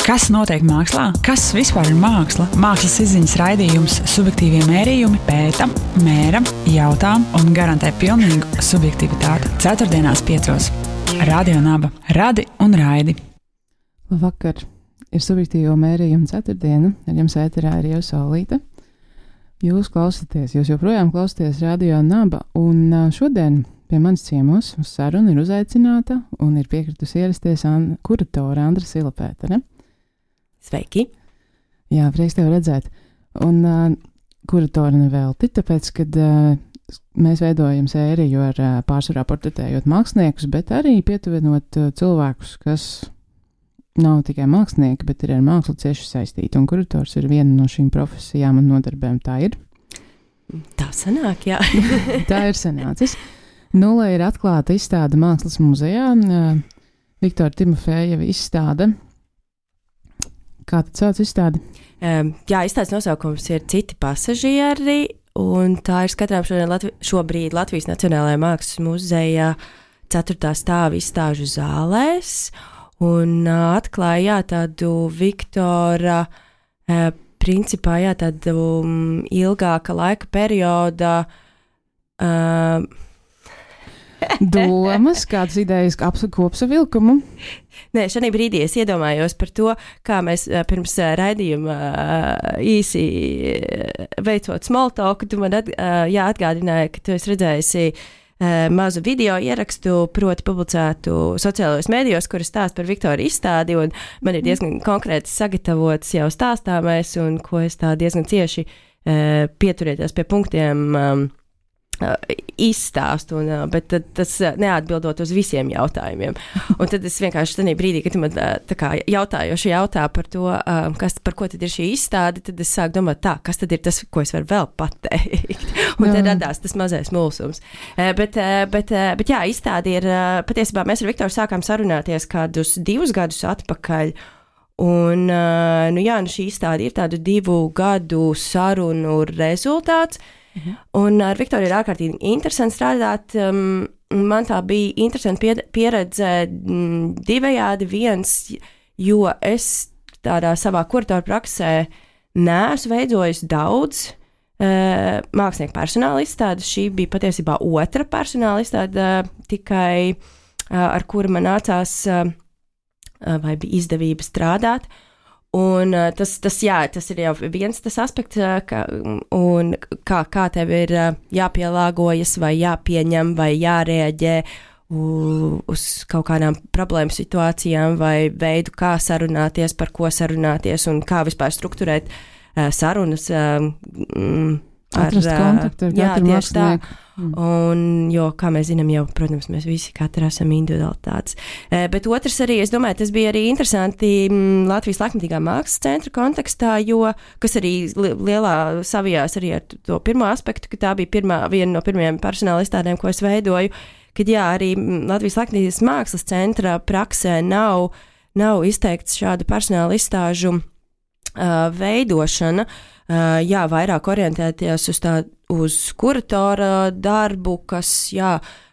Kas notiek mākslā? Kas vispār ir māksla? Mākslas izziņas raidījums Subjektīvie mērījumi pēta, mēra, jautā un garantē pilnīgu subjektivitāti. Ceturtdienās 5. Radio Naba. Radi un raidi. Labvakar! Ir Subjektīvo mērījumu ceturtdiena. Ar jums ēterā ir jau Saulīte. Jūs joprojām klausāties Radio Naba. Un šodien pie manis ciemos uz sarunu ir uzaicināta un ir piekritusi ierasties kuratore Andra Silapēta, ne? Sveiki! Jā, prieks tevi redzēt. Un kuratori nevelti, tāpēc, kad mēs veidojam sēriju ar pārsvarā portretējot māksliniekus, bet arī pietuvinot cilvēkus, kas nav tikai mākslinieki, bet ir ar mākslu cieši saistīti. Un kurators ir viena no šīm profesijām un nodarbēm. Tā ir? Tā sanāk, jā. Tā ir sanācis. Nulē ir atklāta izstāde Mākslas muzejā. Viktora Timofejeva izstāde. Kā tad sauc izstādi? Jā, izstādes nosaukums ir Citi pasažieri, un tā ir skatrām šobrīd Latvijas Nacionālajā Mākslas muzeja 4. stāva izstāžu zālēs, un atklāja tādu Viktora, principā tādu ilgāka laika perioda domas, kādas idejas kopsavilkumu? Nē, šajā brīdī es iedomājos par to, kā mēs pirms raidījuma īsi veicot small talk, tu man atgādināji, ka tu esi redzējusi mazu video ierakstu, proti publicētu sociālajos mēdījos, kur stāst par Viktora izstādi, un man ir diezgan konkrēti sagatavots jau stāstāmais, un ko es tā diezgan cieši pieturēties pie punktiem izstāstu, bet tas neatbildot uz visiem jautājumiem. Un tad es vienkārši tajā brīdī, kad tu man jautājoši jautā par to, par ko tad ir šī izstāde, tad es sāku domāt kas tad ir tas, ko es varu vēl pateikt. Un tad radās tas mazais mulsums. Bet jā, izstāde ir, patiesībā mēs ar Viktoru sākām sarunāties kādus 2 gadus atpakaļ. Un šī izstāde ir tādu 2 gadu sarunu rezultāts. Un ar Viktoru ir ārkārtīgi interesanti strādāt. Man tā bija interesanti pieredze divējādi. Viens, jo es tādā savā kuratora praksē neesmu veidojis daudz mākslinieku personāla izstādes. Šī bija patiesībā otra personāla izstāde, tikai ar kuru man nācās vai bija izdevība strādāt. Un tas ir jau viens tas aspekts, kā tev ir jāpielāgojas vai jāpieņem vai jārēģē uz kaut kādām problēmu situācijām vai veidu, kā sarunāties, par ko sarunāties un kā vispār strukturēt sarunas. Atrast kontaktu ar katru mākslinieku. Un, jo, kā mēs zinām, jau, protams, mēs visi katru esam individualitātes. Bet otrs arī, es domāju, tas bija arī interesanti Latvijas laikmatīgā mākslas centra kontekstā, kas arī lielā savijās arī ar to pirmo aspektu, ka tā bija viena no pirmajām personāla izstādēm, ko es veidoju, kad arī Latvijas laikmatīgās mākslas centra praksē nav izteikts šādu personāla izstāžu veidošana, vairāk orientēties uz kuratora darbu, kas,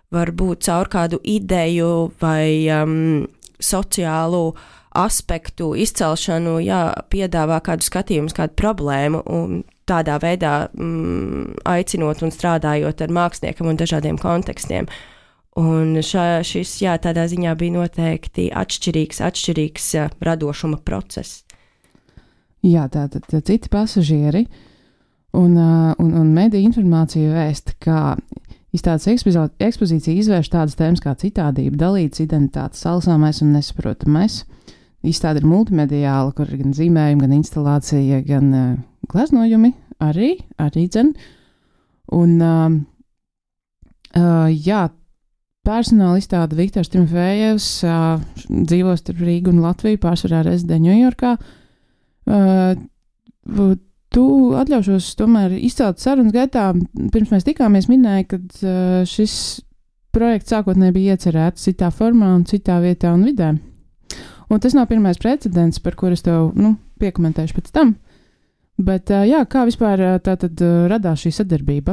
var būt caur kādu ideju vai sociālu aspektu izcelšanu, piedāvā kādu skatījumu, kādu problēmu un tādā veidā aicinot un strādājot ar māksliniekam un dažādiem kontekstiem. Un šis, tādā ziņā bija noteikti atšķirīgs radošuma process. Jā, tātad citi pasažieri un mediju informācija vēsta, ka izstādes ekspozīcija izvērš tādas tēmas kā citādība, dalītas identitātes, salsāmais un nesaprotamais. Izstāde ir multimediāla, kur ir gan zīmējumi, gan instalācija, gan gleznojumi arī dzen. Un, personāla izstāde Viktors Timofejevs dzīvo starp Rīgu un Latviju, pārsvarā rezidē Ņujorkā. Tu atļaušos tomēr izcelt sarunas gaitā, pirms mēs tikāmies minēja, ka šis projekts sākotnēji bija iecerēts citā formā un citā vietā un vidē. Un tas nav pirmais precedents, par kur es tev piekomentēšu pēc tam. Bet kā vispār tātad radās šī sadarbība?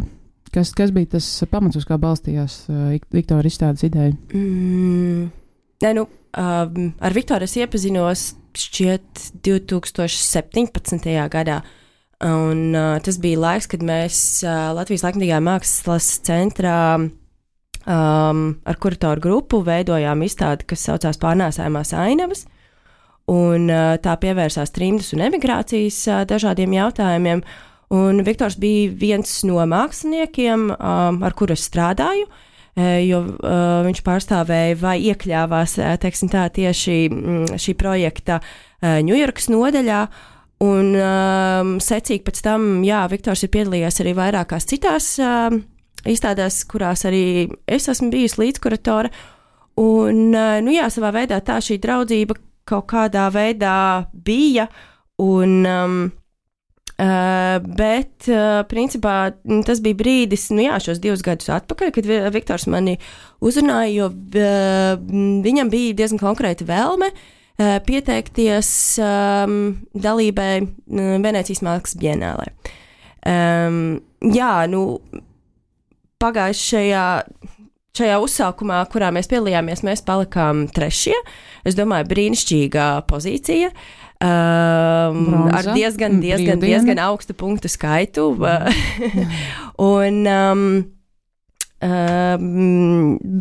Kas bija tas pamats, uz kā balstījās Viktora izstādes ideja? Ar Viktoru es iepazinos šķiet 2017. gadā. Un tas bija laiks, kad mēs Latvijas laikmatīgā mākslas centrā ar kuratoru grupu veidojām izstādi, kas saucās Pārnēsājumās ainavas. Un tā pievērsās trimdas un emigrācijas dažādiem jautājumiem. Un Viktors bija viens no māksliniekiem, ar kuru es strādāju, jo viņš pārstāvēja vai iekļāvās, teiksim tā, tieši šī projekta Ņujorkas nodaļā. Un secīgi pēc tam, Viktors ir piedalījies arī vairākās citās izstādēs, kurās arī es esmu bijusi līdzkuratore. Un, savā veidā tā šī draudzība kaut kādā veidā bija. Un, bet, principā, tas bija brīdis, šos 2 gadus atpakaļ, kad Viktors mani uzrunāja, jo viņam bija diezgan konkrēta vēlme pieteikties dalībai Venēcijas mākslas bienālē. Šajā uzsākumā, kurā mēs piedalījāmies, mēs palikām 3. Es domāju, brīnišķīgā pozīcija. Ar diezgan augstu punktu skaitu.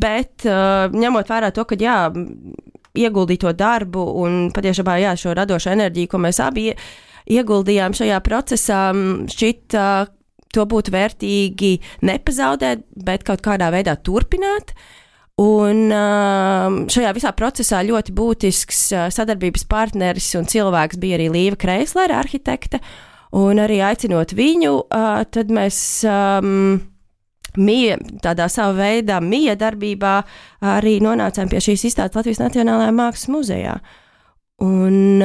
Bet ņemot vērā to, ka ieguldīto darbu un patiešām šo radošo enerģiju, ko mēs abi ieguldījām šajā procesā, šķita to būtu vērtīgi nepazaudēt, bet kaut kādā veidā turpināt. Un šajā visā procesā ļoti būtisks sadarbības partneris un cilvēks bija arī Līva Kreislere, arhitekte, un arī aicinot viņu, tad mēs tādā savā veidā miedarbībā arī nonācām pie šīs izstādes Latvijas Nacionālajā Mākslas muzejā. Un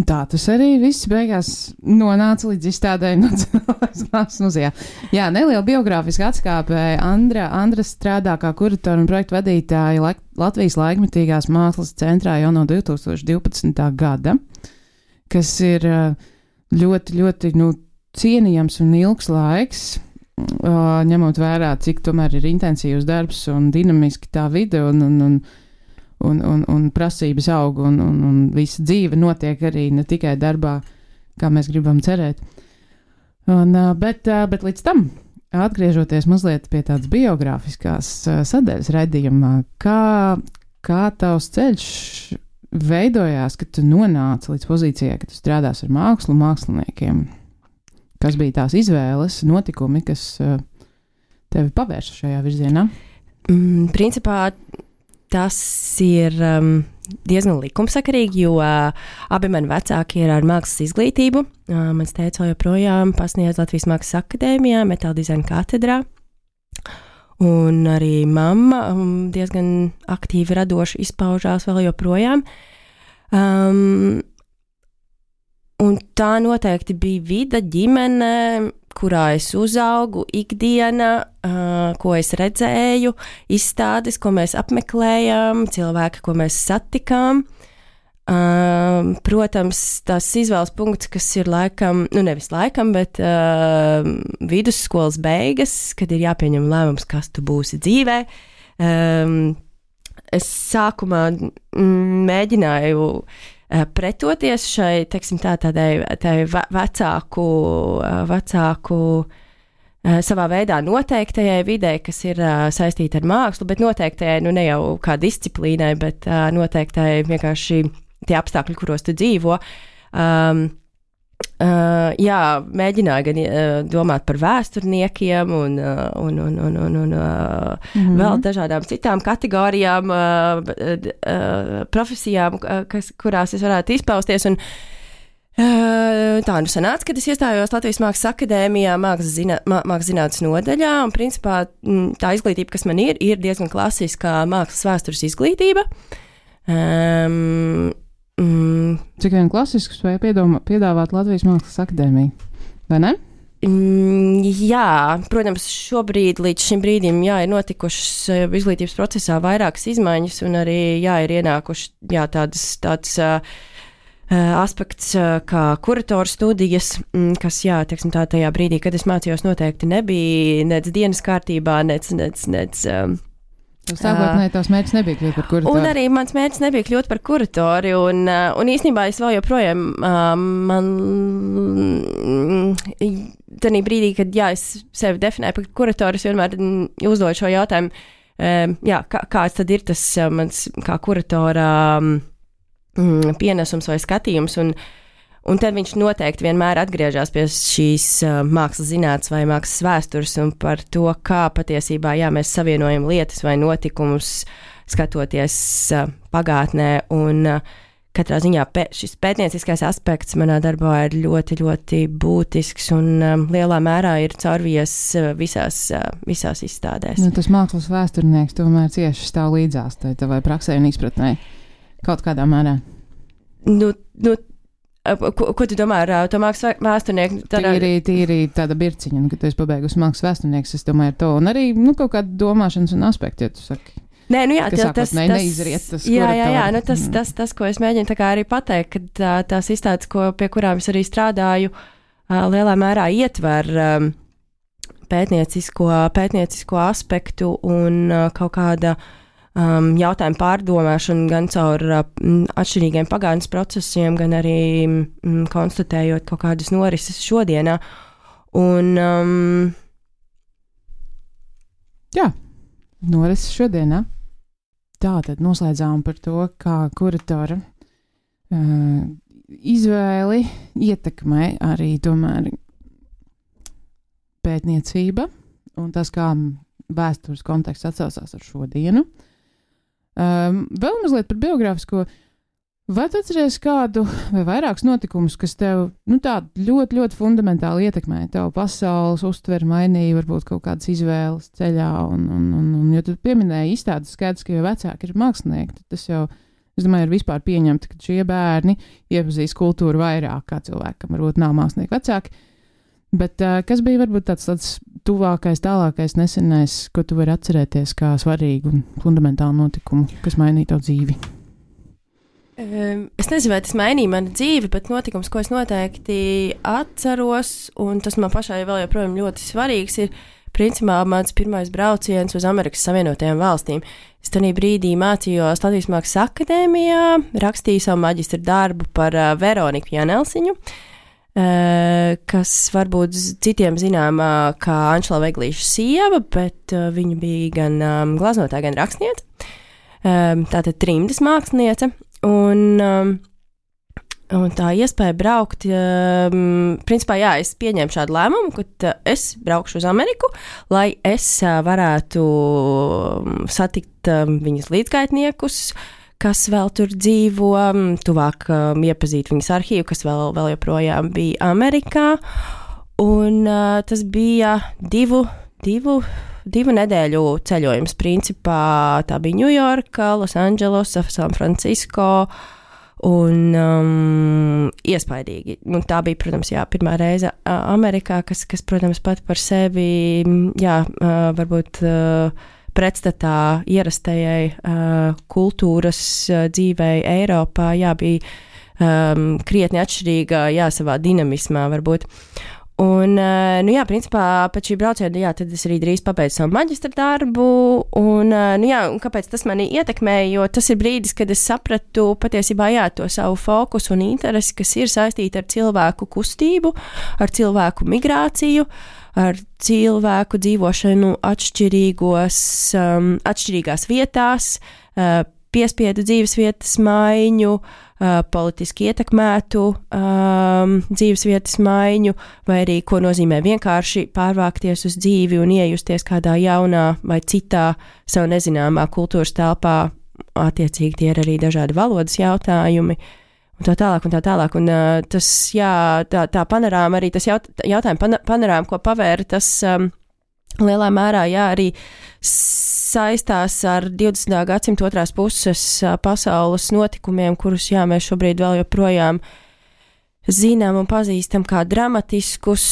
tā tas arī viss beigās nonāca līdz izstādēm Nacionālajās Mākslas muzejā. Jā, neliela biogrāfiska atskāpe. Andra strādā kā kuratora un projektu vadītāja Latvijas laikmatīgās mākslas centrā jau no 2012. gada, kas ir ļoti, ļoti, cienījams un ilgs laiks, ņemot vērā, cik tomēr ir intensīvs darbs un dinamiski tā vide un prasības aug un visa dzīve notiek arī ne tikai darbā, kā mēs gribam cerēt. Bet līdz tam, atgriežoties mazliet pie tādas biogrāfiskās sadaļas raidījumā, kā tavs ceļš veidojās, kad tu nonāci līdz pozīcijai, ka tu strādās ar mākslu, māksliniekiem? Kas bija tās izvēles, notikumi, kas tevi pavērsa šajā virzienā? Principā tas ir diezgan likumsakarīgi, jo abi mani vecāki ir ar mākslas izglītību. Mans tēvs joprojām pasniedz Latvijas Mākslas akadēmijā, metāla dizaina katedrā. Un arī mamma diezgan aktīvi radoši izpaužās vēl joprojām. Un tā noteikti bija vide, ģimene, kurā es uzaugu, ikdiena, ko es redzēju, izstādes, ko mēs apmeklējām, cilvēki, ko mēs satikām. Protams, tās izvēles punkts, kas ir laikam, nevis laikam, bet vidusskolas beigas, kad ir jāpieņem lēmums, kas tu būsi dzīvē. Es sākumā mēģināju pretoties šai, teiksim tādai vecāku savā veidā noteiktajai videi, kas ir saistīta ar mākslu, bet noteiktajai, ne jau kā disciplīnai, bet noteiktai vienkārši tie apstākļi, kuros tu dzīvo. Mēģināju gan domāt par vēsturniekiem un vēl dažādām citām kategorijām, profesijām, kurās es varētu izpausties. Un tā sanāca, kad es iestājos Latvijas Mākslas akadēmijā, mākslas zinātnes nodaļā, un principā tā izglītība, kas man ir diezgan klasiskā mākslas vēstures izglītība. Cik vien klasisks vai piedāvāt Latvijas Mākslas akadēmija, vai ne? Jā, protams, šobrīd līdz šim brīdim ir notikušas izglītības procesā vairākas izmaiņas un arī ir ienākuši tāds aspekts kā kuratoru studijas, kas, teiksim tā, tajā brīdī, kad es mācījos, noteikti nebija nec dienas kārtībā, nec Sākotnēji tavs mērķis nebija kļūt par kuratoru. Un arī mans mērķis nebija kļūt par kuratori, un īstenībā es vēl joprojām man tanī brīdī, kad es sevi definēju par kuratoru, es vienmēr uzdodu šo jautājumu, kāds tad ir tas mans kā kuratora pienesums vai skatījums, un tad viņš noteikti vienmēr atgriežas pie šīs mākslas zinātnes vai mākslas vēstures un par to, kā patiesībā mēs savienojam lietas vai notikumus, skatoties pagātnē. Un katrā ziņā šis pētnieciskais aspekts manā darbā ir ļoti, ļoti būtisks un lielā mērā ir caurvies visās izstādēs. Nu, tas mākslas vēsturnieks tomēr cieši stāv līdzās tavai praksē un izpratnē kaut kādā mērā. Ko tu domā ar to mākslas vēsturnieku? Tīri tāda birciņa, kad tu esi pabeigusi mākslas vēsturnieks, es domāju ar to, un arī kaut kāda domāšanas un aspekti, ja tu saki. Nē, tas neizriet tas, tas, ko es mēģinu tā kā arī pateikt, ka tās izstādes, pie kurām es arī strādāju, lielā mērā ietver pētniecisko aspektu un kaut kāda jautājumu pārdomāšanu gan caur atšķirīgiem pagātnes procesiem, gan arī konstatējot kaut kādas norises šodienā. Un, norises šodienā. Tā tad noslēdzām par to, kā kuratora izvēli ietekmē arī tomēr pētniecība un tas, kā vēstures konteksts atsaucās ar šodienu. Vēl mazliet par biogrāfisko. Vai tu atceries kādu vai vairākus notikumus, kas tev tādu ļoti, ļoti fundamentāli ietekmēja? Tev pasaules uztveri mainīja, varbūt kaut kādas izvēles ceļā, un jo tu pieminēji izstādes, skaidrs, ka jau vecāki ir mākslinieki, tad tas jau, es domāju, ir vispār pieņemta, ka šie bērni iepazīst kultūru vairāk kā cilvēkam, varbūt nav mākslinieki vecāki. Bet kas bija varbūt tāds tuvākais, tālākais, nesenais, ko tu vari atcerēties kā svarīgu un fundamentālu notikumu, kas mainīja tavu dzīvi? Es nezinu, vai tas mainīja manu dzīvi, bet notikums, ko es noteikti atceros, un tas man pašai vēl joprojām ļoti svarīgs, ir principā mans pirmais brauciens uz Amerikas Savienotajām valstīm. Es tajā brīdī mācījos Latvijas Mākslas akadēmijā, rakstīju savu maģistra darbu par Veroniku Janelsiņu, kas varbūt citiem zināmā kā Anšela Veglīša sieva, bet viņa bija gan gleznotāja, gan rakstniece. Tātad trimdas māksliniece. Un tā iespēja braukt, principā, es pieņēmu šādu lēmumu, ka es braukšu uz Ameriku, lai es varētu satikt viņas līdzgaitniekus, kas vēl tur dzīvo, tuvāk iepazīt viņas arhīvu, kas vēl joprojām bija Amerikā. Un tas bija divu nedēļu ceļojums. Principā tā bija Ņujorka, Losandželos, San Francisco un iespaidīgi. Un tā bija, protams, pirmā reize Amerikā, kas protams, pat par sevi, varbūt pretstatā ierastajai kultūras dzīvei Eiropā, bija krietni atšķirīga, savā dinamismā varbūt. Un, principā, pēc šī brauciena, tad es arī drīz pabeidzu savu maģistra darbu, un kāpēc tas mani ietekmēja, jo tas ir brīdis, kad es sapratu patiesībā, to savu fokusu un interesi, kas ir saistīta ar cilvēku kustību, ar cilvēku migrāciju, ar cilvēku dzīvošanu atšķirīgās vietās, piespiedu dzīves vietas maiņu, politiski ietekmētu dzīves vietas maiņu, vai arī ko nozīmē vienkārši pārvākties uz dzīvi un iejusties kādā jaunā vai citā savu nezināmā kultūras telpā. Attiecīgi tie ir arī dažādi valodas jautājumi. Un tā tālāk, un tas, tā panorāma, arī tas jautājuma panorāma, ko pavēra, tas lielā mērā, arī saistās ar 20. gadsimta otrās puses pasaules notikumiem, kurus, mēs šobrīd vēl joprojām zinām un pazīstam kā dramatiskus,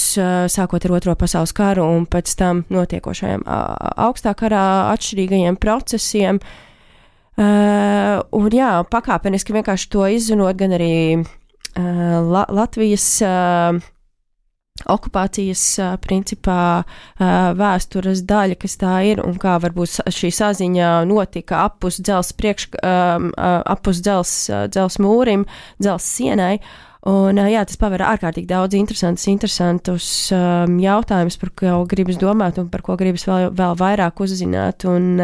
sākot ar Otro pasaules karu un pēc tam notiekošajiem augstā karā atšķirīgajiem procesiem. Un pakāpeniski vienkārši to izzinot, gan arī Latvijas okupācijas principā vēstures daļa, kas tā ir, un kā varbūt šī saziņa notika apus dzels mūrim, dzels sienai. Un, tas paver ārkārtīgi daudz interesantus jautājumus, par ko gribas domāt un par ko gribas vēl vairāk uzzināt un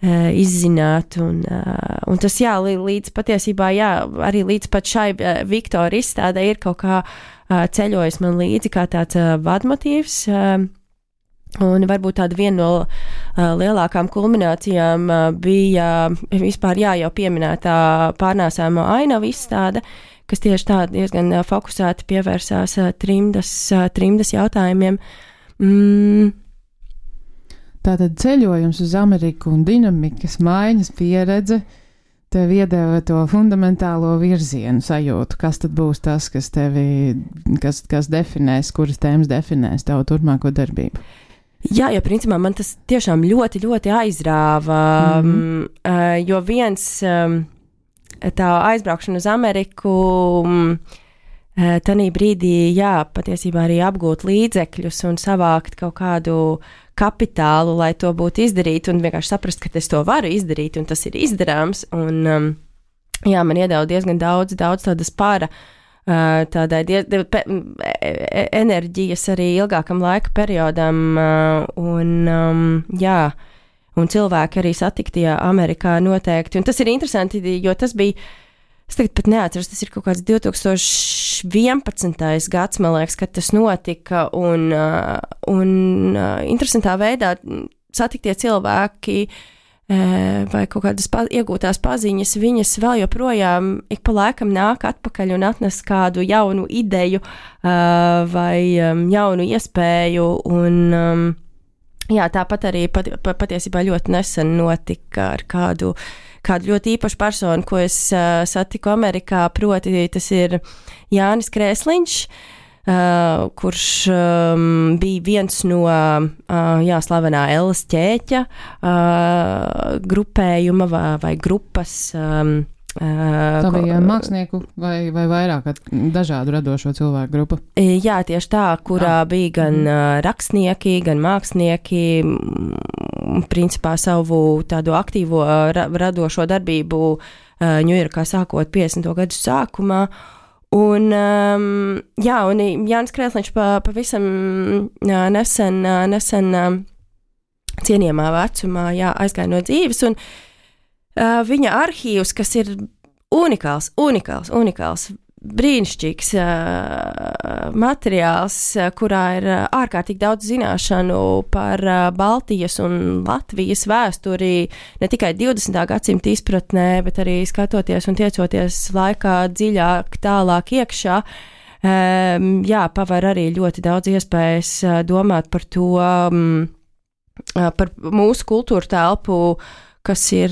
izzināt. Un tas, līdz patiesībā, arī līdz pat šai Viktora izstādē ir kaut kā ceļojis man līdzi kā tāds vadmotīvs. Un varbūt tāda viena no lielākām kulminācijām bija vispār jau pieminētā pārnēsājamo ainavu izstāde, kas tieši tā diezgan fokusēti pievērsās trimdas jautājumiem. Tātad ceļojums uz Ameriku un dinamikas maiņas pieredze tev iedeva to fundamentālo virzienu sajūtu. Kas tad būs tas, kas tevi, kas definēs, kuras tēmas definēs tavu turpmāko darbību? Jā, jo principā man tas tiešām ļoti, ļoti aizrāva, jo viens tā aizbraukšana uz Ameriku, tanī brīdī, patiesībā arī apgūt līdzekļus un savākt kaut kādu kapitālu, lai to būtu izdarīt, un vienkārši saprast, ka es to varu izdarīt, un tas ir izdarāms, un man iedeva diezgan daudz tādas tādai enerģijas arī ilgākam laika periodam, un cilvēki arī satikti Amerikā noteikti. Un tas ir interesanti, jo tas bija, es tagad pat neatceros, tas ir kaut kāds 2011. gads, man liekas, kad tas notika, un interesantā veidā satiktie cilvēki vai kaut kādas iegūtās paziņas, viņas vēl joprojām ik pa laikam nāk atpakaļ un atnes kādu jaunu ideju vai jaunu iespēju, un tāpat arī patiesībā ļoti nesen notika ar kādu ļoti īpašu personu, ko es satiku Amerikā, proti tas ir Jānis Krēsliņš, kurš bija viens no slavenā Ellas ķēķa grupējuma vai grupas. Tā bija mākslinieku vai vairāk dažādu radošo cilvēku grupa? Jā, tieši tā, kurā bija gan rakstnieki, gan mākslinieki, principā savu tādu aktīvo radošo darbību Ņujorkā sākot 50. gadu sākumā. Un Jānis Krēsliņš pavisam nesen cienījamā vecumā aizgāja no dzīves, un viņa arhīvs, kas ir unikāls, brīnišķīgs materiāls, kurā ir ārkārtīgi daudz zināšanu par Baltijas un Latvijas vēsturi, ne tikai 20. gadsimta izpratnē, bet arī skatoties un tiecoties laikā dziļāk, tālāk iekšā, paver arī ļoti daudz iespējas domāt par to, par mūsu kultūru telpu, kas ir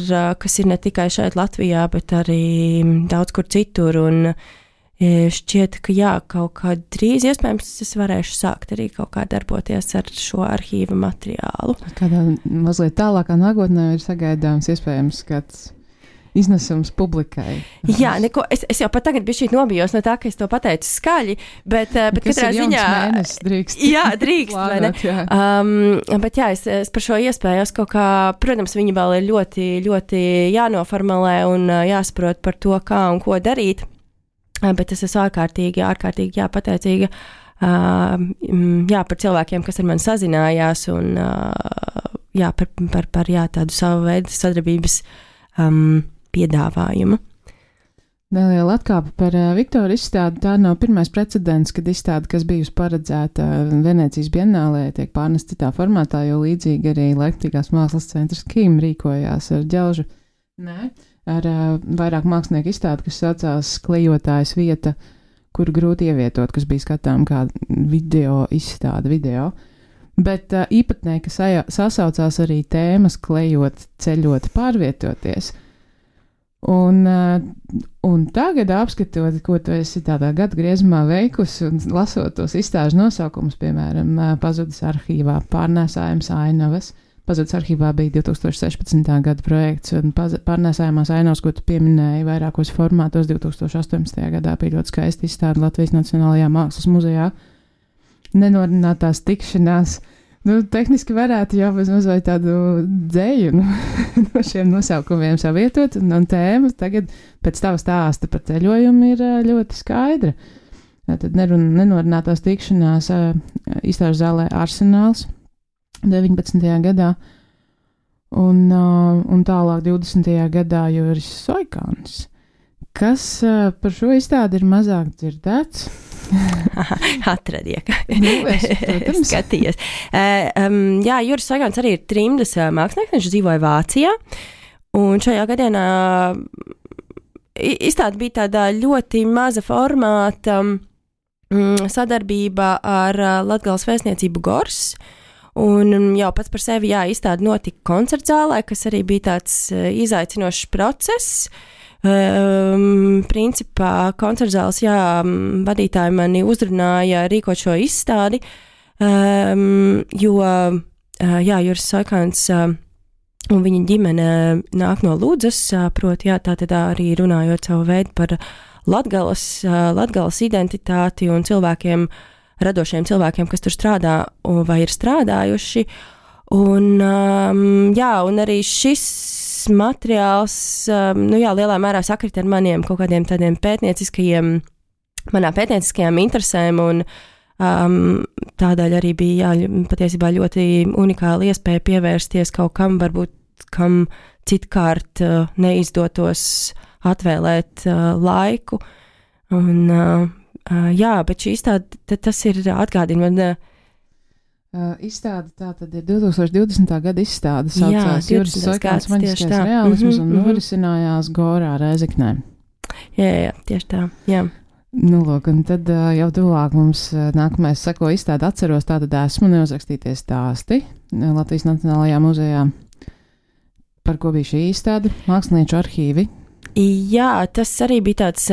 ne tikai šeit Latvijā, bet arī daudz kur citur, un šķiet, ka kaut kā drīz iespējams es varēšu sākt arī kaut kā darboties ar šo arhīva materiālu. Kādā mazliet tālākā nākotnē ir sagaidāms iespējams kāds iznesums publikai. Jā, es jau pat tagad bišķīt nobijos no tā, ka es to pateicu skaļi, bet katrā ziņā... Mēnesis drīkst. Jā, drīkst, vai ne? Bet es par šo iespēju kaut kā, protams, viņa vēl ir ļoti, ļoti jānoformulē un jāsaprot par to, kā un ko darīt. Bet es esmu ārkārtīgi pateicīga par cilvēkiem, kas ar mani sazinājās, un par tādu savu veidu sadarbības piedāvājumu. Neliela atkāpe par Viktora izstādi. Tā nav pirmais precedents, kad izstāde, kas bijusi paredzēta Venēcijas bienālē, tiek pārnest citā formātā, jo līdzīgi arī Leipzigās mākslas centrs Kim rīkojās ar ģelžu. Ar vairāk mākslinieku izstādi, kas saucās Klejotājas vieta, kur grūti ievietot, kas bija skatām kā video izstāde. Bet īpatnē, ka sasaucās arī tēmas klejot, ceļot, pārvietoties. Un tagad apskatot, ko tu esi tādā gadu griezumā veikusi un lasot tos izstāžu nosaukumus, piemēram, Pazudis arhīvā, pārnēsājums ainavas. Pazudis arhīvā bija 2016. gada projekts, un pārnēsājumās ainavas, ko tu pieminēji vairākos formātos, 2018. gadā bija ļoti skaisti izstāde Latvijas Nacionālajā mākslas muzejā. nenorunātās tikšanās. Tehniski varētu jau bez mazliet tādu dzēju no šiem nosaukumiem savietot, un tēma tagad pēc tava stāsta par ceļojumu ir ļoti skaidra. Tad nenorunātās tikšanās izstāžu zālē Arsenāls 19. gadā, un tālāk 20. gadā Juris Soikāns. Kas par šo izstādi ir mazāk dzirdēts? Atradiek. Skaties. Jā, Juris Soikāns arī ir trimdas mākslinieks, viņš dzīvoja Vācijā, un šajā gadienā izstāde bija tādā ļoti maza formāta sadarbībā ar Latgales vēstniecību Gors, un jau pats par sevi, izstāde notika koncertzālē, kas arī bija tāds izaicinošs process. Principā koncertzāles, vadītāji mani uzrunāja rīkot šo izstādi, jo, Juris Soikāns un viņa ģimene nāk no Ludzas, proti, tā tad arī runājot savu veidu par Latgales identitāti un cilvēkiem, radošiem cilvēkiem, kas tur strādā vai ir strādājuši. Un arī šis materiāls, lielā mērā sakrit ar maniem kaut kādiem tādiem manām pētnieciskajām interesēm, un tādēļ arī bija, patiesībā ļoti unikāla iespēja pievērsties kaut kam, varbūt kam citkārt neizdotos atvēlēt laiku. Un, bet šī izstāde, tas ir atgādina man. Izstāde tā tad ir 2020. gada izstāde, saucās Juris Soikāns maģiskais realisms un norisinājās Gorā Rēzeknē. Jā, tieši tā, jā. Lūk, un tad jau tuvāk mums nākamais seko izstāde atceros, tātad esmu neuzrakstīties stāsti Latvijas Nacionālajā muzejā. Par ko bija šī izstāde? Mākslinieču arhīvi. Jā, tas arī bija tāds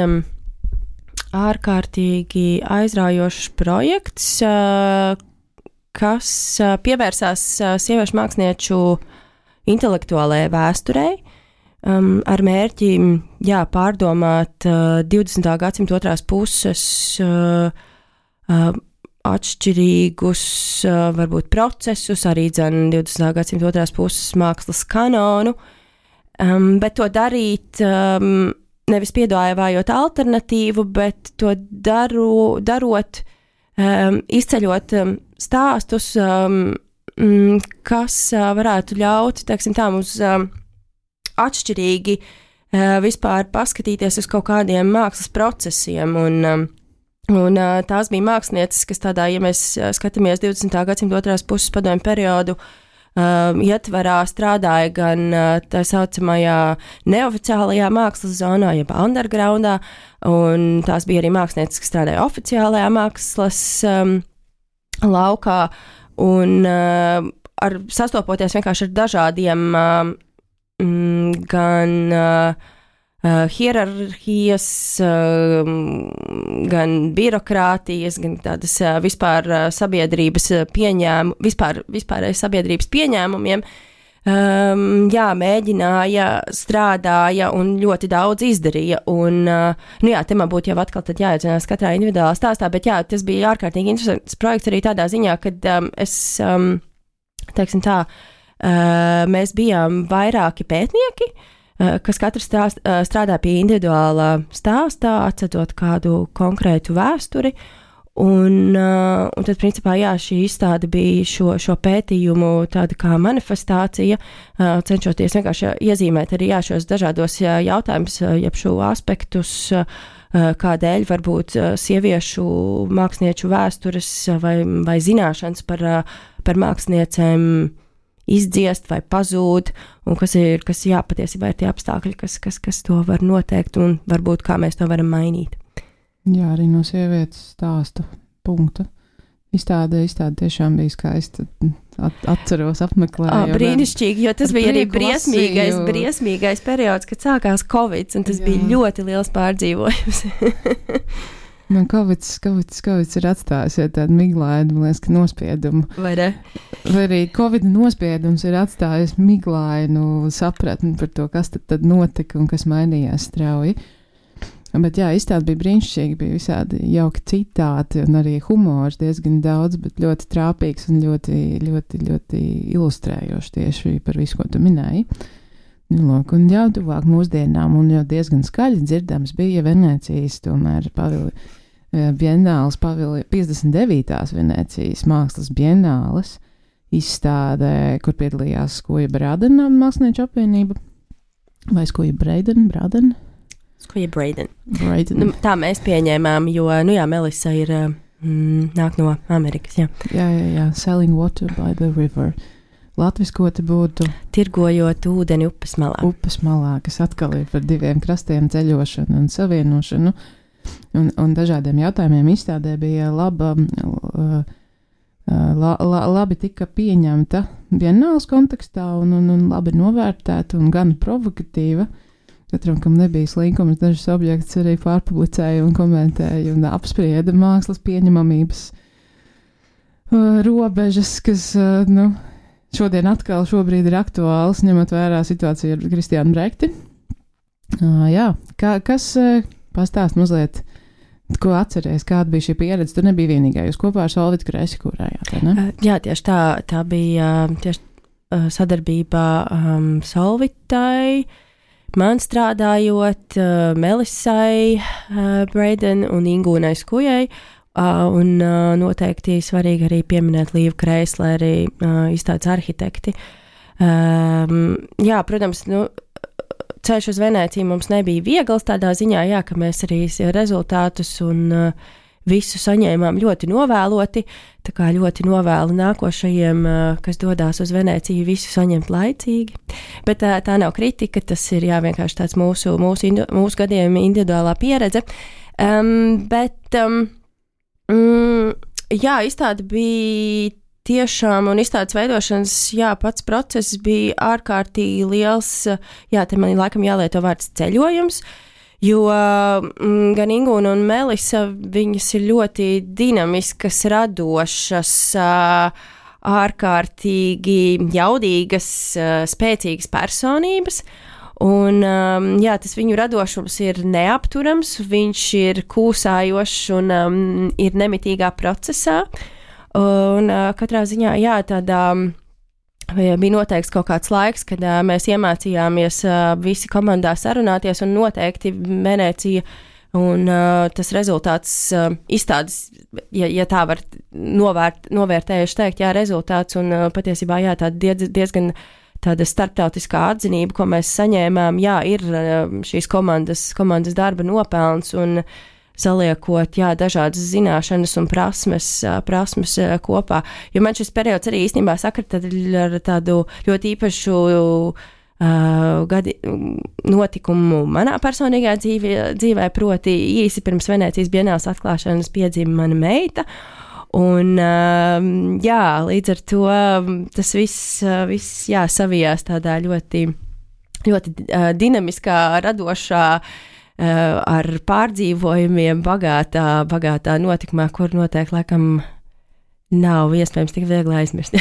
ārkārtīgi aizraujošs projekts, kas pievērsās sieviešu mākslinieču intelektuālajai vēsturei, ar mērķi, pārdomāt 20. gadsimta otrās puses atšķirīgus, varbūt procesus, arī 20. gadsimta otrās puses mākslas kanonu, bet to darīt nevis piedāvājot alternatīvu, bet to darot, izceļot stāstus, kas varētu ļaut, teiksim tā, mums atšķirīgi vispār paskatīties uz kaut kādiem mākslas procesiem, un tās bija mākslinieces, kas tādā, ja mēs skatāmies 20. gadsimta otrās puses padomju periodu, ietvarā strādāja gan tā saucamajā neoficiālajā mākslas zonā, jeb undergroundā, un tās bija arī mākslinieces, kas strādāja oficiālajā mākslas laukā, un sastopoties vienkārši ar dažādiem gan hierarhijas, gan birokrātijas, gan tādas vispār sabiedrības vispārējas sabiedrības pieņēmumiem, mēģināja, strādāja un ļoti daudz izdarīja. Un, te man būtu jau atkal tad jāiedzinās katrā individuālā stāstā, bet tas bija ārkārtīgi interesants projekts arī tādā ziņā, kad teiksim tā, mēs bijām vairāki pētnieki, kas katrs strādā pie individuālā stāstā, atcetot kādu konkrētu vēsturi, un tad, principā, šī izstāde bija šo pētījumu tāda kā manifestācija, cenšoties vienkārši iezīmēt arī šos dažādos jautājumus, jeb šo aspektus, kādēļ varbūt sieviešu mākslinieču vēstures vai zināšanas par māksliniecēm izdziest vai pazūd, un kas patiesībā ir tie apstākļi, kas to var noteikt, un varbūt kā mēs to varam mainīt. Jā, arī no sievietes stāsta punkta. Izstāde tiešām bija skaista. Atceros, apmeklēju. Brīnišķīgi, jo tas bija arī briesmīgais periods, kad sākās Covid, un tas bija ļoti liels pārdzīvojums. Man Covid ir atstājis tādu miglainu, man liekas, ka nospiedumu. Vai ne? Vai arī Covid nospiedums ir atstājis miglainu sapratni par to, kas tad notika un kas mainījās strauji. Bet jā, izstāde bija brīnišķīga, bija visādi jauki citāti un arī humors diezgan daudz, bet ļoti trāpīgs un ļoti, ļoti, ļoti ilustrējoši tieši par visu, ko tu minēji. Lūk, un jau tuvāk mūsdienām un jau diezgan skaļi dzirdams bija Venēcijas, tomēr bienāles 59. Venēcijas mākslas bienāles izstādē, kur piedalījās Skoja Bradena mākslinieču apvienība vai Skoja Braden? Skoja Braden. Nu, tā mēs pieņēmām, jo, Melissa ir nāk no Amerikas, jā. Jā, Selling Water by the River. Latviskoti būtu tirgojot ūdeni upes malā. Upes malā, kas atkal ir par diviem krastiem ceļošanu un savienošanu un dažādiem jautājumiem izstādē bija labi tika pieņemta bienāles kontekstā un labi novērtēta un gan provokatīva. Katram, kam nebija slinkums, dažus objektus arī pārpublicēja un komentēja un apsprieda mākslas pieņemamības robežas, kas, šobrīd ir aktuāls, ņemot vērā situāciju ar Kristiānu Brekti. Jā, kas pastāst mazliet, ko atceries, kāda bija šī pieredze? Tu nebija vienīgā, jūs kopā ar Solvitu Kresi kurējāt, vai ne? Jā, tieši tā bija tieši sadarbībā Solvitai, man strādājot, Melissai Braden un Ingūnai Skujai, un noteikti svarīgi arī pieminēt Līvu Kreisleri, izstādes arhitekti. Jā, protams, ceļš uz Venēciju mums nebija viegls tādā ziņā, jā, ka mēs arī rezultātus un visu saņēmām ļoti novēloti, tā kā ļoti novēlu nākošajiem, kas dodās uz Venēciju, visu saņemt laicīgi. Bet tā nav kritika, tas ir vienkārši tāds mūsu gadījuma individuālā pieredze. Izstāde bija tiešām, un izstādes veidošanas, pats process bija ārkārtīgi liels, te man laikam jālieto vārds ceļojums, jo gan Ingūna un Melissa, viņas ir ļoti dinamiskas, radošas, ārkārtīgi jaudīgas, spēcīgas personības, un tas viņu radošums ir neapturams, viņš ir kūsājošs un ir nemitīgā procesā, un katrā ziņā, tādā bija noteikts kaut kāds laiks, kad mēs iemācījāmies visi komandā sarunāties, un noteikti Venēcija un tas rezultāts izstādes, ja tā var novērtējuši teikt, rezultāts un patiesībā, tāda diezgan tāda starptautiskā atzinība, ko mēs saņēmām, ir šīs komandas darba nopelns un saliekot, dažādas zināšanas un prasmes kopā. Jo man šis periods arī īstenībā sakrit ar tādu ļoti īpašu notikumu manā personīgā dzīvē, proti īsi pirms Venēcijas bienāles atklāšanas piedzima mana meita. Un, līdz ar to tas viss savijās tādā ļoti, ļoti dinamiskā, radošā, ar pārdzīvojumiem bagātā notikumā, kur noteikti laikam nav iespējams tik viegli aizmirst.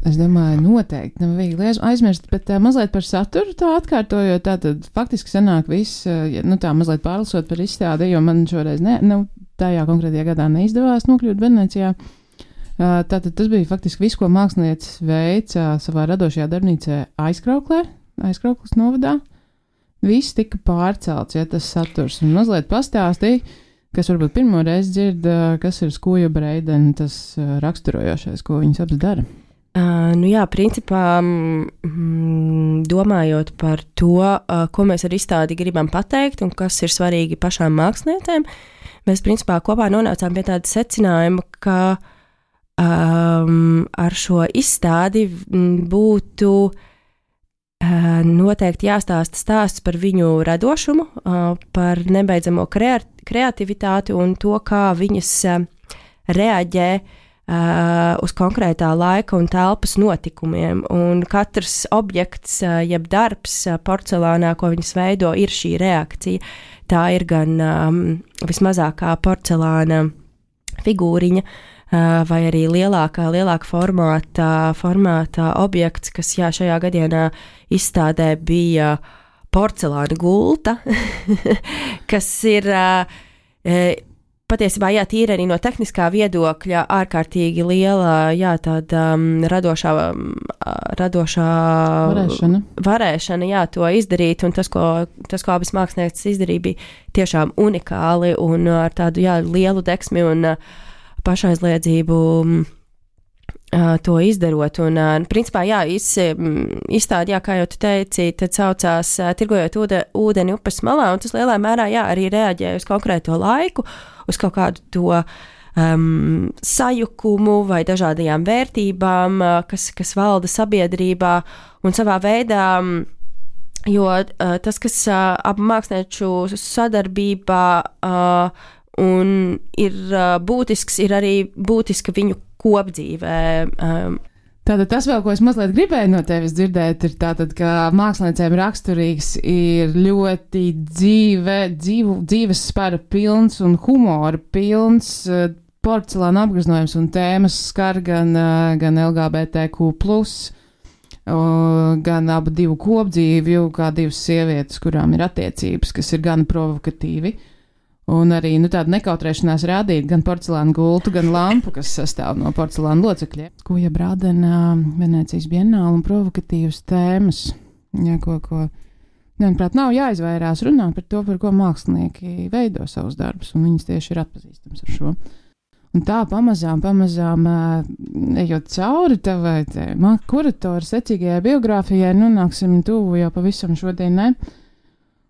Es domāju, noteikti nav viegli aizmirst, bet mazliet par saturu tā atkārtojot, tātad faktiski sanāk viss, tā mazliet pārlasot par izstādi, jo man šoreiz tajā konkrētajā gadā neizdevās nokļūt Venēcijā. Tātad tas bija faktiski viss, ko māksliniecis veica savā radošajā darbnīcā Aizkraukles novadā. Viss tika pārcelts, tas saturs, un mazliet pastāstīja, kas varbūt pirmo reizi dzird, kas ir Skoja Braden, tas raksturojošais, ko viņas abas dara. Principā domājot par to, ko mēs ar izstādi gribam pateikt un kas ir svarīgi pašām māksliniecēm, mēs principā kopā nonācām pie tāda secinājuma, ka ar šo izstādi būtu noteikti jāstāsta stāsts par viņu radošumu, par nebeidzamo kreativitāti un to, kā viņas reaģē uz konkrētā laika un telpas notikumiem. Un katrs objekts, jeb darbs porcelānā, ko viņas veido, ir šī reakcija. Tā ir gan vismazākā porcelāna figūriņa, vai arī lielāka formāta objekts, kas šajā gadienā izstādē bija porcelāna gulta, kas ir patiesībā, jā, tīri arī no tehniskā viedokļa ārkārtīgi liela, jā, tāda radošā varēšana, jā, to izdarīt, un tas, ko abas mākslinieces izdarīja, bija tiešām unikāli un ar tādu, jā, lielu deksmi un pašaizliedzību to izdarot. Un, principā, jā, izstādi, jā, kā jau tu teici, tad saucās Tirgojot ūdeni upes malā, un tas lielā mērā, jā, arī reaģēja uz konkrēto laiku, uz kaut kādu to sajukumu vai dažādajām vērtībām, kas valda sabiedrībā, un savā veidā, jo tas, kas abu mākslinieču sadarbībā un ir būtisks, ir arī būtiska viņu kopdzīvē. Tātad tas vēl, ko es mazliet gribēju no tevis dzirdēt, ir tātad, ka māksliniecēm raksturīgs ir ļoti dzīves spara pilns un humora pilns porcelāna apgreznojums un tēmas skar gan LGBTQ+, gan abu divu kopdzīvju, kā divas sievietes, kurām ir attiecības, kas ir gan provokatīvi. Un arī tāda nekautrēšanās rādīt gan porcelāna gultu, gan lampu, kas sastāv no porcelāna locekļiem. Ko brādina Venēcijas bienāla un provokatīvas tēmas, ja, ko manuprāt, nav jāizvairās runāt par to, par ko mākslinieki veido savus darbus, un viņas tieši ir atpazīstams ar šo. Un tā pamazām ejot cauri tavai kuratora secīgajai biogrāfijai, nonāksim tuvu jau pavisam šodien, ne?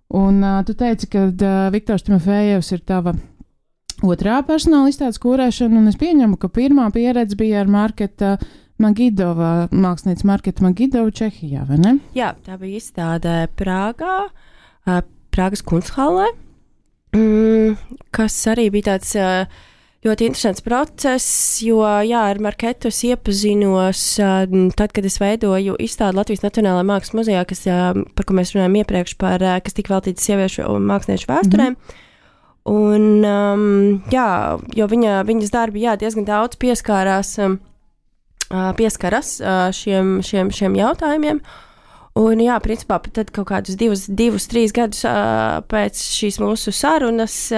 Un tu teici, ka Viktors Timofejevs ir tava otrā personāla izstādes kūrēšana, un es pieņemu, ka pirmā pieredze bija ar Marketa Magidova, mākslinieca Marketa Magidova Čehijā, vai ne? Jā, tā bija izstāde Prāgā, Prāgas Kunsthallē, kas arī bija tāds ļoti interesants process, jo, jā, ar Marketu es iepazinos tad, kad es veidoju izstādi Latvijas Nacionālajā Mākslas muzejā, par ko mēs runājam iepriekš, kas tika veltīta sieviešu un māksliniešu vēsturēm. Un, jā, jo viņas darbi, jā, diezgan daudz pieskaras šiem jautājumiem. Un, jā, principā, tad kaut kādus 2-3 gadus pēc šīs mūsu sarunas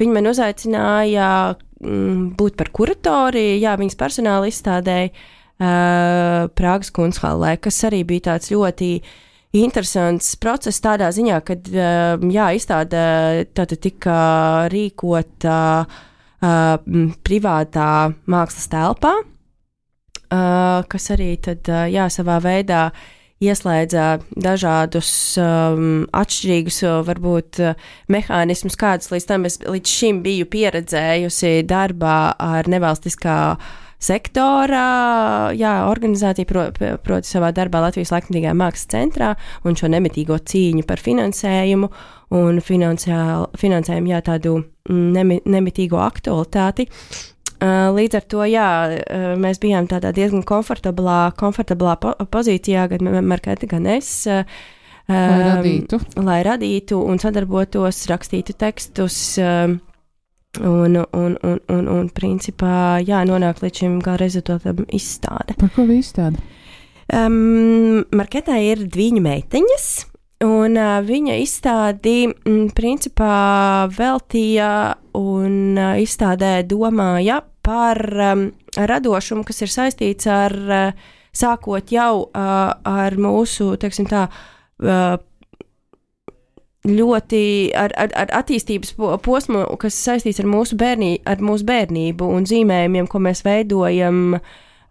viņi man uzaicināja būt par kuratori, jā, viņas personāla izstādēja Prāgas Kunsthallē, kas arī bija tāds ļoti interesants process tādā ziņā, kad, jā, izstāde tātad tika rīkota privātā mākslas telpā, kas arī tad, jā, savā veidā ieslēdza dažādus atšķirīgus, varbūt, mehānismus, kādus līdz šim biju pieredzējusi darbā ar nevalstiskā sektora, jā, organizācija, proti savā darbā Latvijas Laikmetīgajā mākslas centrā un šo nemitīgo cīņu par finansējumu un finansējumu, jā, tādu nemitīgo aktualitāti. Līdz ar to, jā, mēs bijām tādā diezgan komfortablā pozīcijā, gan Marketa, gan es, lai radītu un sadarbotos, rakstītu tekstus un principā, jā, nonāk līdz šim gala rezultātam izstāde. Par ko bija izstāde? Marketai ir 2 meiteņas, un viņa izstādi principā veltīja un izstādē domāja par radošumu, kas ir saistīts ar sākot jau ar mūsu, teiksim tā, ļoti ar attīstības posmu, kas saistīts ar mūsu bērnību un zīmējumiem, ko mēs veidojam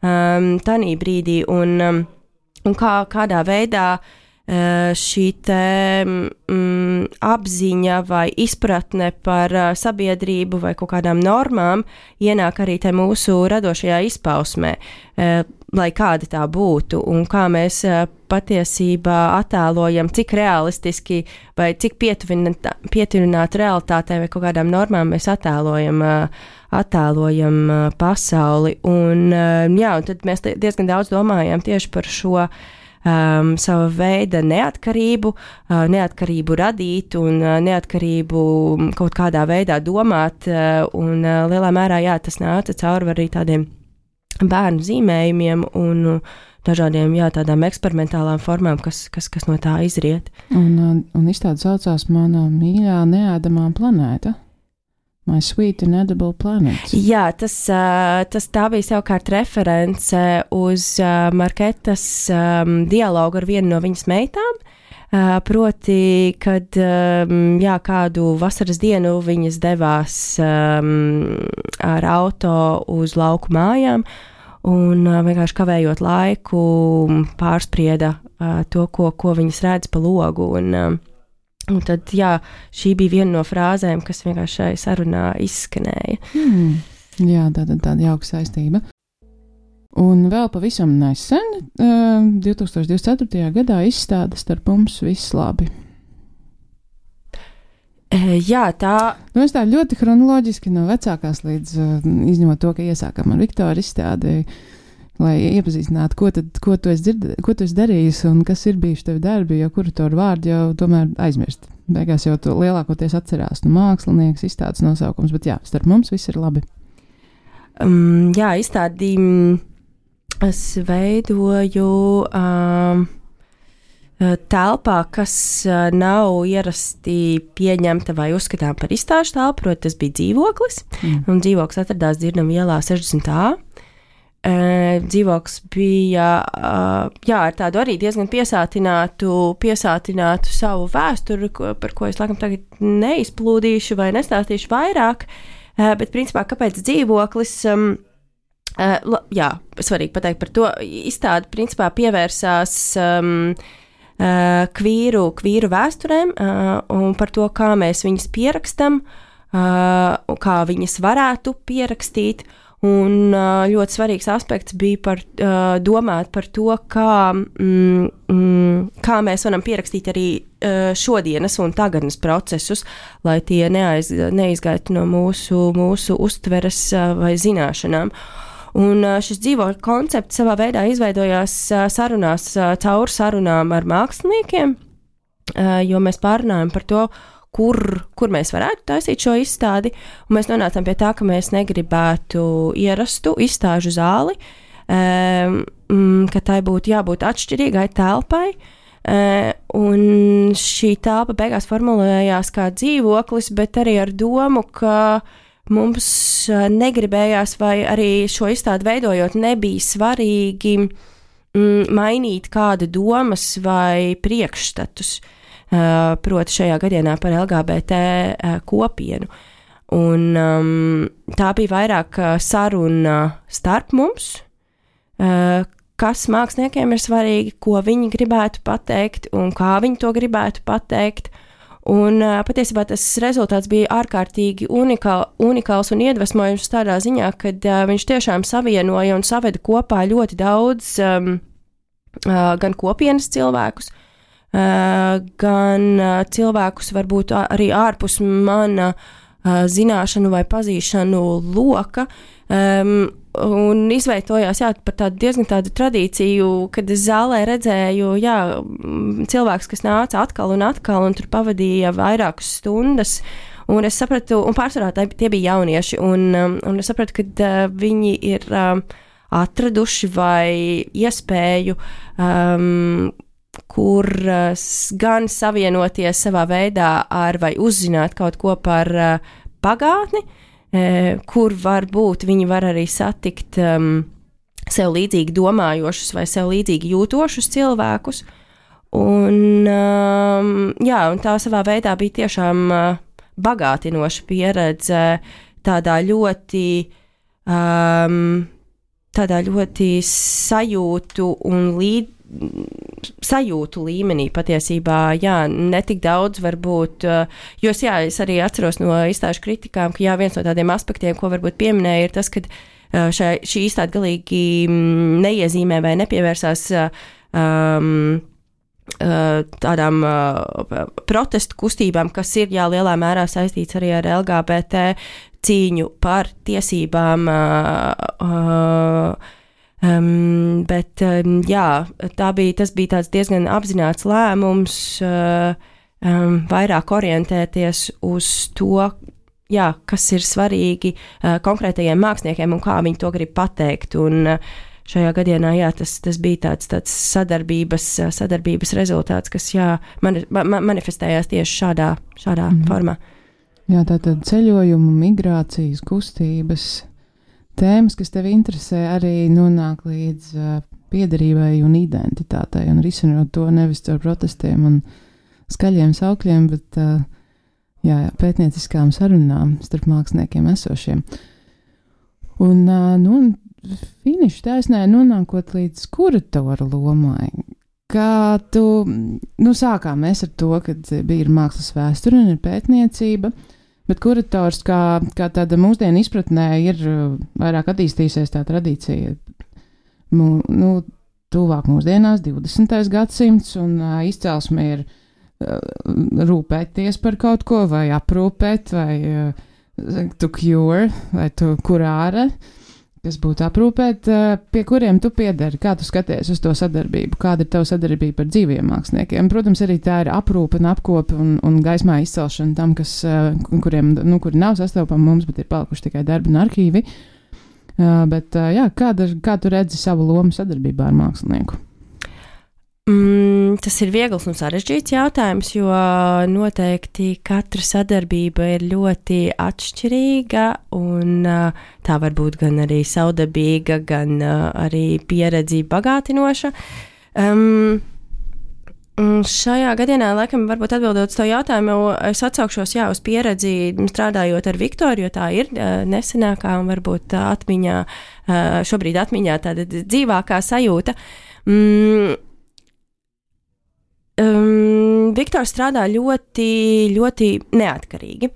tanī brīdī un kādā veidā šī apziņa vai izpratne par sabiedrību vai kaut kādām normām ienāk arī te mūsu radošajā izpausmē, lai kāda tā būtu un kā mēs patiesībā attēlojam, cik realistiski vai cik pietuvināti realitātei vai kaut kādām normām mēs attēlojam pasauli. Un, jā, un tad mēs diezgan daudz domājam tieši par šo sava veida neatkarību radīt un neatkarību kaut kādā veidā domāt, un lielā mērā, jā, tas nāca cauri arī tādiem bērnu zīmējumiem un dažādiem, tādām eksperimentālām formām, kas no tā izriet. Un izstāde saucās Mana mīļā neēdamā planēta. My Sweet Inedible Planet. Jā, tā bija savukārt reference uz Marketas dialogu ar vienu no viņas meitām. Proti, kad kādu vasaras dienu viņas devās ar auto uz lauku mājām un vienkārši kavējot laiku pārsprieda to, ko viņas redz pa logu. Un tad, šī bija viena no frāzēm, kas vienkārši šai sarunā izskanēja. Jā, tāda jauka saistība. Un vēl pavisam nesen, 2024. gadā izstāde Starp mums viss labi. Jā, tā. Mēs tā ļoti chronoloģiski no vecākās līdz izņemot to, ka iesākam ar Viktoru izstādi, lai iepazīstinātu, ko tu esi darījis un kas ir bijuši tevi darbi, jo kuratoru vārdu jau tomēr aizmirst. Beigās jau tu lielākoties atcerās mākslinieks, izstādes nosaukums, bet Starp mums viss ir labi. Izstādi es veidoju telpā, kas nav ierasti pieņemta vai uzskatām par izstāžu telpu, proti tas bija dzīvoklis, un dzīvoklis atradās Dzirnavu ielā 60A. Dzīvoklis bija ar tādu arī diezgan piesātinātu savu vēsturi, par ko es laikam tagad neizplūdīšu vai nestāstīšu vairāk, bet principā kāpēc dzīvoklis, svarīgi pateikt par to, izstāde principā pievērsās kvīru vēsturēm un par to, kā mēs viņas pierakstam, kā viņas varētu pierakstīt. Un ļoti svarīgs aspekts bija domāt par to, kā mēs varam pierakstīt arī šodienas un tagadnes procesus, lai tie neizgaitu no mūsu uztveres vai zināšanām. Un šis dzīvokļa koncepts savā veidā izveidojās caur sarunām ar māksliniekiem, jo mēs pārunājam par to, kur mēs varētu taisīt šo izstādi, un mēs nonācām pie tā, ka mēs negribētu ierastu izstāžu zāli, ka tai būtu jābūt atšķirīgai telpai, un šī telpa beigās formulējās kā dzīvoklis, bet arī ar domu, ka mums negribējās vai arī šo izstādi veidojot nebija svarīgi mainīt kāda domas vai priekšstatus. Proti šajā gadienā par LGBT kopienu. Un tā bija vairāk saruna starp mums, kas māksliniekiem ir svarīgi, ko viņi gribētu pateikt un kā viņi to gribētu pateikt. Un patiesībā tas rezultāts bija ārkārtīgi unikāls un iedvesmojums tādā ziņā, kad viņš tiešām savienoja un saveda kopā ļoti daudz gan kopienas cilvēkus, gan cilvēkus varbūt arī ārpus mana zināšanu vai pazīšanu loka, un izveidojās par tādu diezgan tādu tradīciju, kad es zālē redzēju cilvēks, kas nāca atkal un tur pavadīja vairākas stundas, un es sapratu, un pārsvarā tie bija jaunieši, un es sapratu, ka viņi ir atraduši vai iespēju kur gan savienoties savā veidā ar vai uzzināt kaut ko par pagātni, kur varbūt viņi var arī satikt sev līdzīgi domājošus vai sev līdzīgi jūtošus cilvēkus. Un tā savā veidā bija tiešām bagātinoša pieredze tādā ļoti sajūtu un sajūtu līmenī patiesībā, netik daudz varbūt, jo es arī atceros no izstāžu kritikām, ka viens no tādiem aspektiem, ko varbūt pieminēja, ir tas, ka šī izstāde galīgi neiezīmē vai nepievērsās tādām protestu kustībām, kas ir lielā mērā saistīts arī ar LGBT cīņu par tiesībām, bet tas bija tāds diezgan apzināts lēmums vairāk orientēties uz to, kas ir svarīgi konkrētajiem māksliniekiem un kā viņi to grib pateikt. Un šajā gadienā, jā, tas bija tāds sadarbības rezultāts, kas, jā, manifestējās tieši šādā formā. Jā, tātad ceļojumu, migrācijas, kustības, tēmas, kas tevi interesē, arī nonāk līdz piederībai un identitātei, un risinot to nevis caur protestiem un skaļiem saukļiem, bet pētnieciskām sarunām starp māksliniekiem esošiem. Un finiša taisnē nonākot līdz kuratora lomai. Kā tu, sākām mēs ar to, kad bija mākslas vēsture un ir pētniecība, bet kurators kā tāda mūsdienu izpratnē ir vairāk attīstījusies tā tradīcija, tuvāk mūsdienās 20. gadsimts, un izcelsme ir rūpēties par kaut ko, vai aprūpēt, vai to cure, vai to kurāra, kas būtu aprūpēt, pie kuriem tu piedari, kā tu skaties uz to sadarbību, kāda ir tava sadarbība ar dzīviem māksliniekiem. Protams, arī tā ir aprūpe un apkope un gaismā izcelšana tam, kuri nav sastopami mums, bet ir palikuši tikai darbi un arhīvi. Bet kā tu redzi savu lomu sadarbībā ar mākslinieku? Tas ir viegls un sarežģīts jautājums, jo noteikti katra sadarbība ir ļoti atšķirīga, un tā var būt gan arī savdabīga, gan arī pieredzi bagātinoša. Šajā gadienā, laikam, varbūt atbildot uz to jautājumu, es atsaukšos uz pieredzi strādājot ar Viktoru, jo tā ir nesenākā un varbūt šobrīd atmiņā tāda dzīvākā sajūta. Viktors strādā ļoti, ļoti neatkarīgi.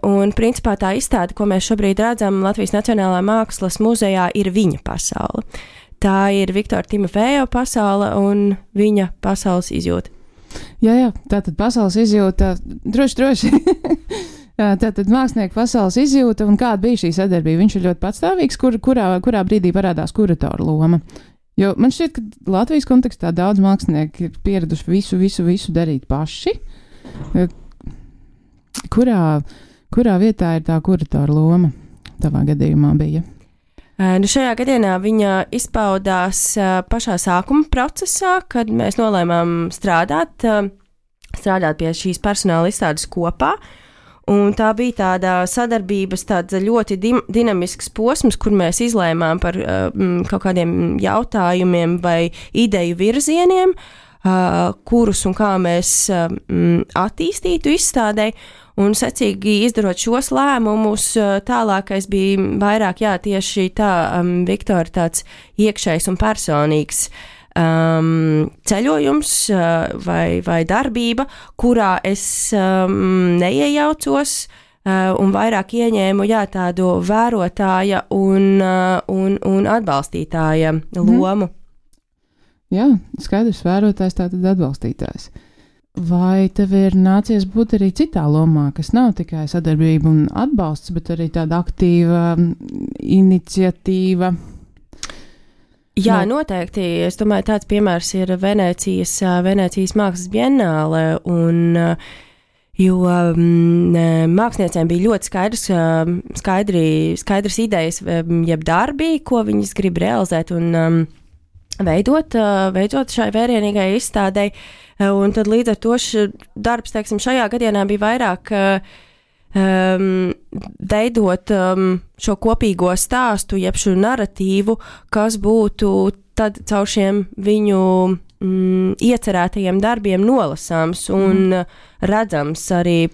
Un principā tā izstāde, ko mēs šobrīd redzam Latvijas Nacionālajā mākslas muzejā, ir viņa pasaule. Tā ir Viktora Timofejeva pasaule un viņa pasaules izjūta. Jā, tātad pasaules izjūta, droši. Tātad mākslinieku pasaules izjūta, un kāda bija šī sadarbība? Viņš ir ļoti patstāvīgs, kurā brīdī parādās kuratora loma. Jo man šķiet, ka Latvijas kontekstā daudz mākslinieki ir pieraduši visu darīt paši. Kurā vietā ir tā kuratora loma tavā gadījumā bija? Šajā gadienā viņa izpaudās pašā sākuma procesā, kad mēs nolēmām strādāt pie šīs personāla izstādes kopā. Un tā bija tāda sadarbības, tāds ļoti dinamisks posms, kur mēs izlēmām par kaut kādiem jautājumiem vai ideju virzieniem, kurus un kā mēs attīstītu izstādē. Un secīgi izdarot šos lēmumus, tālākais bija vairāk, tieši tā, Viktora tāds iekšējs un personīgs ceļojums vai darbība, kurā es neiejaucos un vairāk ieņēmu tādu vērotāja un atbalstītāja lomu. Jā, skaidrs, vērotājs, tātad atbalstītājs. Vai tev ir nācies būt arī citā lomā, kas nav tikai sadarbība un atbalsts, bet arī tāda aktīva iniciatīva? Jā, noteikti. Es domāju, tāds piemērs ir Venēcijas mākslas biennāle, jo māksliniecēm bija ļoti skaidras idejas, jeb darbi, ko viņas grib realizēt un veidot šai vērienīgai izstādei. Un tad līdz ar to darbs, teiksim, šajā gadienā bija vairāk veidot šo kopīgo stāstu, jeb šo naratīvu, kas būtu tad caur šiem viņu iecerētajiem darbiem nolasāms un redzams arī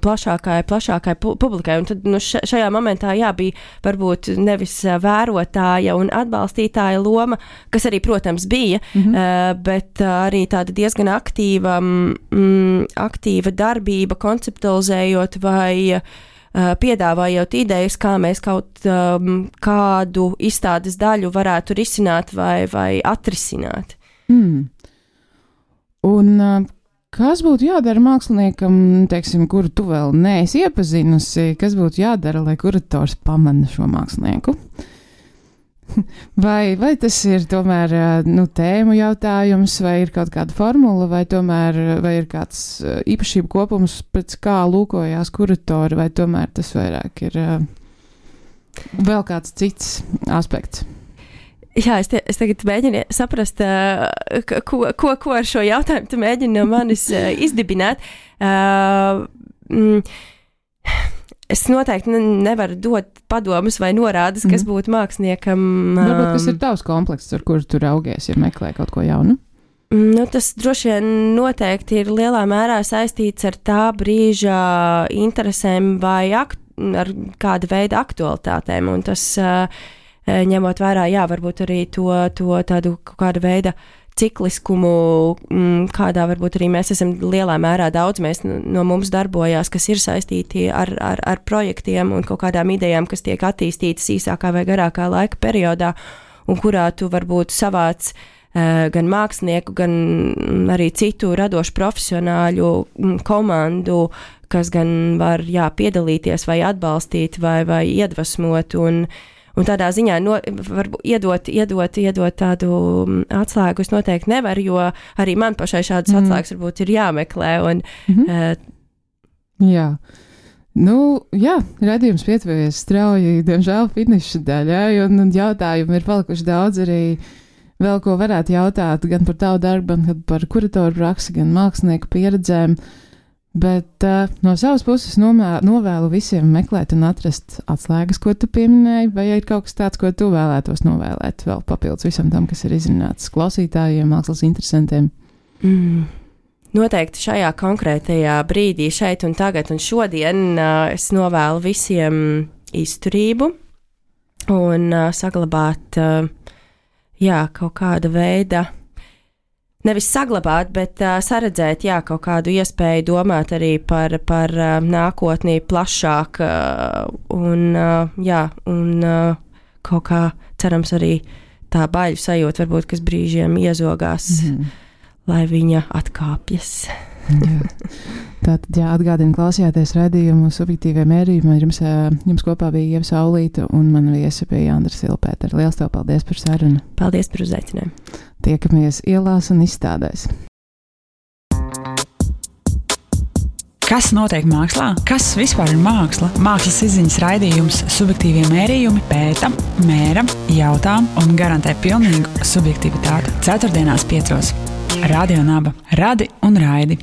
plašākai publikai. Un tad šajā momentā bija varbūt nevis vērotāja un atbalstītāja loma, kas arī, protams, bija, bet arī tāda diezgan aktīva darbība, konceptualizējot vai piedāvājot idejas, kā mēs kaut kādu izstādes daļu varētu risināt vai atrisināt. Un kas būtu jādara māksliniekam, teiksim, kuru tu vēl neesi iepazinusi, kas būtu jādara, lai kurators pamana šo mākslinieku? Vai tas ir tomēr tēmu jautājums, vai ir kaut kāda formula, vai ir kāds īpašību kopums, pēc kā lūkojās kuratori, vai tomēr tas vairāk ir vēl kāds cits aspekts? Jā, es tagad mēģinu saprast, ko ar šo jautājumu tu mēģini no manis izdibināt. Es noteikti nevaru dot padomus vai norādes, kas būtu māksliniekam. Varbūt kas ir tavs komplekss, ar kuru tu raugies, ja meklē kaut ko jaunu? Tas droši vien noteikti ir lielā mērā saistīts ar tā brīža interesēm vai ar kāda veida aktualitātēm, un tas ņemot vērā, varbūt arī to tādu kāda veida cikliskumu, kādā varbūt arī mēs esam lielā mērā daudz, no mums darbojās, kas ir saistīti ar projektiem un kaut kādām idejām, kas tiek attīstītas īsākā vai garākā laika periodā, un kurā tu varbūt savāc gan mākslinieku, gan arī citu radošu profesionāļu komandu, kas gan var piedalīties vai atbalstīt vai iedvesmot un tādā ziņā iedot tādu atslēgu es noteikti nevaru, jo arī man pašai šādas atslēgas varbūt ir jāmeklē. Jā. Radījums pietuvojas strauji, diemžēl finiša daļai, un jautājumi ir palikuši daudz arī vēl, ko varētu jautāt gan par tavu darbu, gan par kuratoru praksi, gan mākslinieku pieredzēm, bet no savas puses novēlu visiem meklēt un atrast atslēgas, ko tu pieminēji, vai ir kaut kas tāds, ko tu vēlētos novēlēt vēl papildus visam tam, kas ir izrunāts klausītājiem, mākslas interesantiem? Noteikti šajā konkrētajā brīdī, šeit un tagad un šodien es novēlu visiem izturību un saglabāt kaut kāda veida, nevis saglabāt, bet saredzēt, kaut kādu iespēju domāt arī par nākotnī plašāk un kaut kā cerams arī tā baļu sajūta, varbūt, kas brīžiem iezogās, lai viņa atkāpjas. Tātad, atgādinu, klausījāties raidījumu subjektīvie mērījumi. Jums kopā bija Ieva Saulīte un mana viesa bija Andra Silpētera. Liels tev paldies par sarunu. Paldies par uzaicinājumu. Tiekamies ielās un izstādēs. Kas notiek mākslā? Kas vispār ir māksla? Mākslas izziņas raidījums subjektīvie mērījumi pēta, mēra, jautā un garantē pilnīgu subjektivitāti. 4.5. Radio Naba. Radi un raidi.